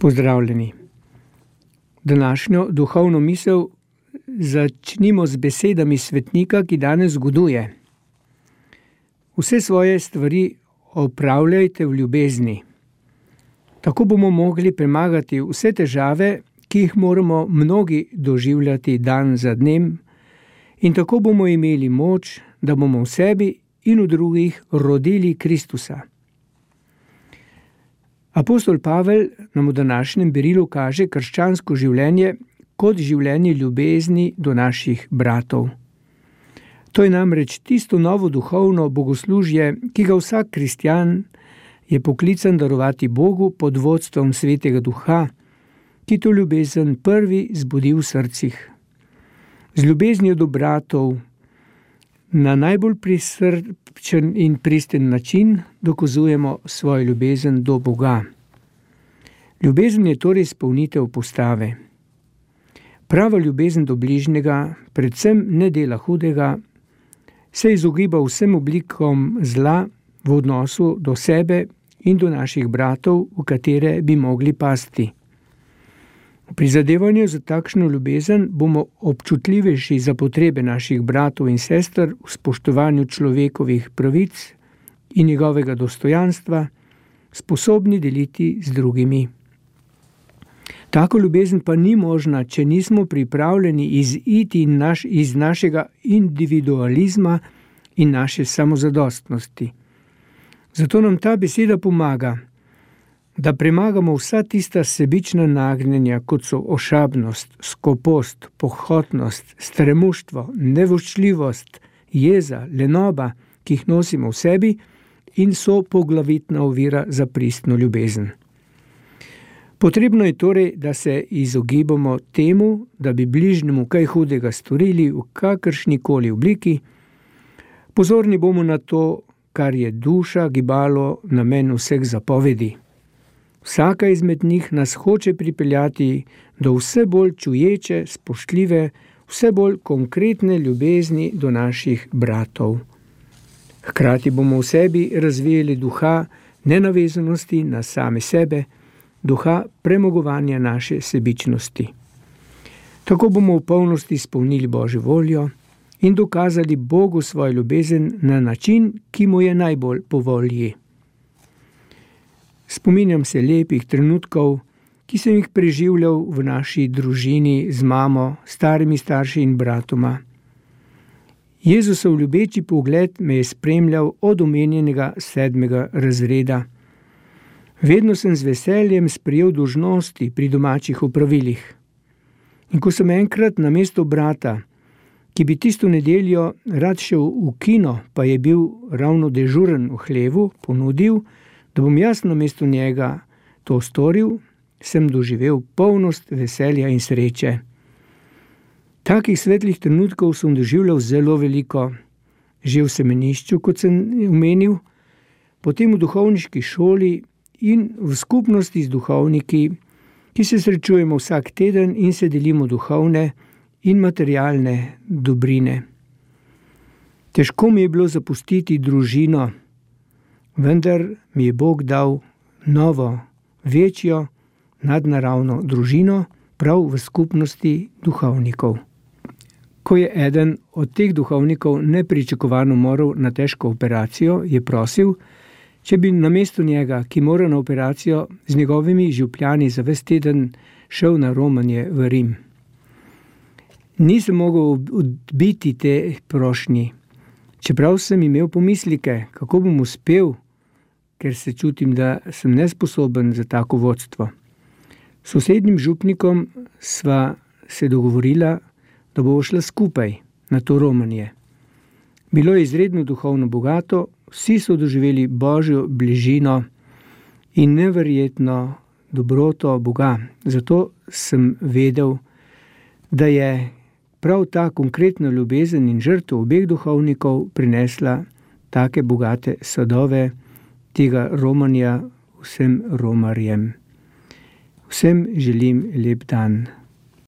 Pozdravljeni. Današnjo duhovno misel začnimo z besedami svetnika, ki danes zgoduje. Vse svoje stvari opravljajte v ljubezni. Tako bomo mogli premagati vse težave, ki jih moramo mnogi doživljati dan za dnem, in tako bomo imeli moč, da bomo v sebi in v drugih rodili Kristusa. Apostol Pavel nam v današnjem berilu kaže krščansko življenje kot življenje ljubezni do naših bratov. To je namreč tisto novo duhovno bogoslužje, ki ga vsak kristjan je poklican darovati Bogu pod vodstvom Svetega Duha, ki to ljubezen prvi zbudi v srcih. Z ljubeznijo do bratov na najbolj prisrčen in pristen način dokazujemo svojo ljubezen do Boga. Ljubezen je torej izpolnitev postave. Prava ljubezen do bližnjega predvsem ne dela hudega, se izogiba vsem oblikom zla v odnosu do sebe in do naših bratov, v katere bi mogli pasti. V prizadevanju za takšno ljubezen bomo občutljivejši za potrebe naših bratov in sester v spoštovanju človekovih pravic in njegovega dostojanstva, sposobni deliti z drugimi. Tako ljubezen pa ni možna, če nismo pripravljeni iziti iz našega individualizma in naše samozadostnosti. Zato nam ta beseda pomaga, da premagamo vsa tista sebična nagnjenja, kot so ošabnost, skopost, pohotnost, stremuštvo, nevoščljivost, jeza, lenoba, ki jih nosimo v sebi in so poglavitna ovira za pristno ljubezen. Potrebno je torej, da se izogibamo temu, da bi bližnjemu kaj hudega storili v kakršnikoli obliki. Pozorni bomo na to, kar je duša, gibalo, namen vseh zapovedi. Vsaka izmed njih nas hoče pripeljati do vse bolj čuječe, spoštljive, vse bolj konkretne ljubezni do naših bratov. Hkrati bomo v sebi razvijali duha nenavezanosti na same sebe, duha premagovanja naše sebičnosti. Tako bomo v polnosti izpolnili Božjo voljo in dokazali Bogu svojo ljubezen na način, ki mu je najbolj po volji. Spominjam se lepih trenutkov, ki sem jih preživljal v naši družini z mamo, starimi starši in bratoma. Jezusov ljubeči pogled me je spremljal od omenjenega 7. razreda. Vedno sem z veseljem sprejel dolžnosti pri domačih opravilih. In ko sem enkrat namesto brata, ki bi tisto nedeljo rad šel v kino, pa je bil ravno dežuren v hlevu, ponudil, da bom jaz namesto njega to storil, sem doživel polnost veselja in sreče. Takih svetlih trenutkov sem doživljal zelo veliko, že v semenišču, kot sem omenil, potem v duhovniški šoli in v skupnosti z duhovniki, ki se srečujemo vsak teden in se delimo duhovne in materialne dobrine. Težko mi je bilo zapustiti družino, vendar mi je Bog dal novo, večjo, nadnaravno družino prav v skupnosti duhovnikov. Ko je eden od teh duhovnikov nepričakovano moral na težko operacijo, je prosil, če bi namesto njega, ki mora na operacijo, z njegovimi župljani za ves teden šel na romanje v Rim. Nisem mogel odbiti te prošnji, čeprav sem imel pomislike, kako bom uspel, ker se čutim, da sem nesposoben za tako vodstvo. S sosednjim župnikom sva se dogovorila, da bova šla skupaj na to romanje. Bilo je izredno duhovno bogato, vsi so doživeli Božjo bližino in neverjetno dobroto Boga. Zato sem vedel, da je prav ta konkretna ljubezen in žrtev obeh duhovnikov prinesla take bogate sadove tega romanja vsem romarjem. Vsem želim lep dan.